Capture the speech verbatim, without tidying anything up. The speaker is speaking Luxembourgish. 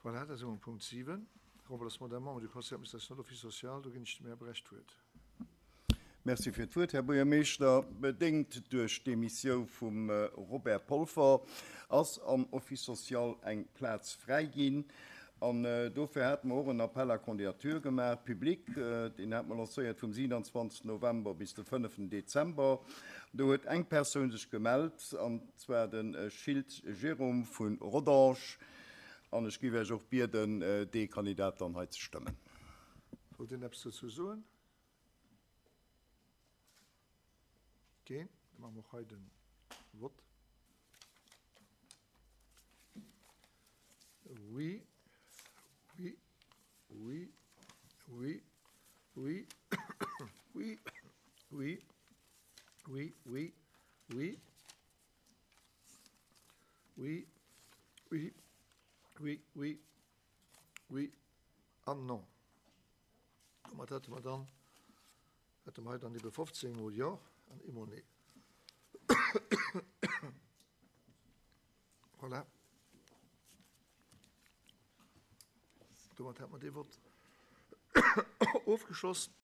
Voilà, da si mer um Punkt siwen, Remplacement d'un membre du Conseil d'administration de l'Office social. Do ginn ech dem Här Brecht d'Wuert. Merci fir d'Wuert, Här Buergermeeschter. Bedéngt duerch d'Demissiou vum Robert Polfer ass am Office social eng Plaz fräi ginn. An dofir hate mer och en Appel à candidatures gemaach, public. Deen hate mer lancéiert vum siewenundzwanzegsten November bis de fënneften Dezember. Do huet eng Persoun sech gemellt, an zwar de Schiltz Jérôme vu Rodange. An ech géif Iech och bieden, dee Kandidat dann hei ze stëmmen. Wollt een eppes dozou soen? Keen? Da maache mer och hei de Vott. Oui, oui, oui, oui, oui, oui, oui, oui, oui, oui, oui, oui, oui, oui, oui an non. Domat hätte mer dann, hätte mer hei dann ebe fofzéng mol Jo an eemol Nee. Voilà. Domat hätte mer dee Vott ofgeschloss.